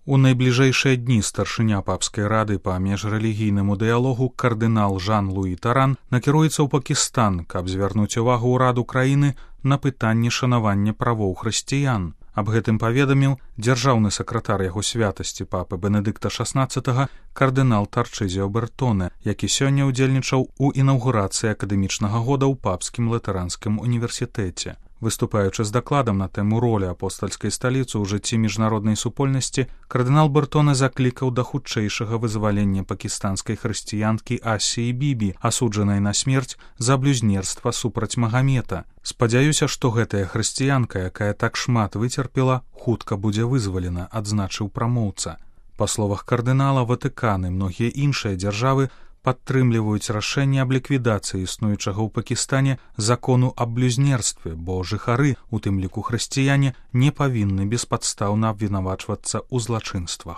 У найбліжэйшыя дні старшыня папскай рады па міжрэлігійнаму дыялогу кардынал Жан-Луі Таран накіруецца ў Пакістан, каб звярнуць увагу ўраду краіны на пытанне шанавання правоў хрысціян. Аб гэтым паведаміў дзяржаўны сакратар яго святасці папы Бенедыкта XVI кардынал Тарчызіо Бертоне, які сёння ўдзельнічаў у інаўгурацыі акадэмічнага года ў папскім латаранскім універсітэце. Выступаючы з дакладам на тэму ролі апостальскай сталіцы ў жыцці міжнароднай супольнасці, кардынал Бертоне заклікаў да хутчэйшага вызвалення пакістанскай хрысціянкі Асіі Бібі, асуджанай на смерць за блюзнерства супраць Магамета. Спадзяюся, што гэтая хрысціянка, якая так шмат выцерпела, хутка будзе вызвалена, адзначыў прамоўца. Па словах кардынала, Ватыкан і многія іншыя дзяржавы падтрымліваюць рашэнне аб ліквідацыі існуючага ў Пакістане закону аб блюзнерстве, бо жыхары, у тым ліку хрысціяне, не павінны беспадстаўна абвінавачвацца ў злачынствах.